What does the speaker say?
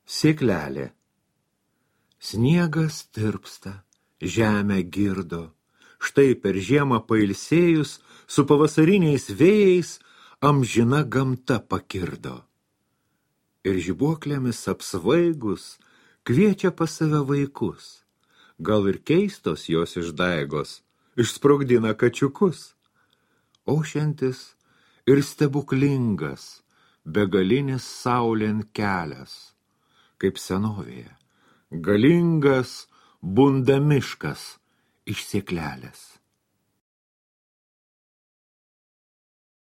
Sėklelė. Sniegas tirpsta, žemę girdo. Štai per žiemą pailsėjus, su pavasariniais vėjais amžina gamta pakirdo. Ir žibuoklėmis apsvaigus kviečia pas save vaikus. Gal ir keistos jos išdaigos išsprogdina kačiukus. Ošiantis ir stebuklingas, begalinis saulėn kelias, kaip senovėje, galingas bunda miškas iš sėklelės.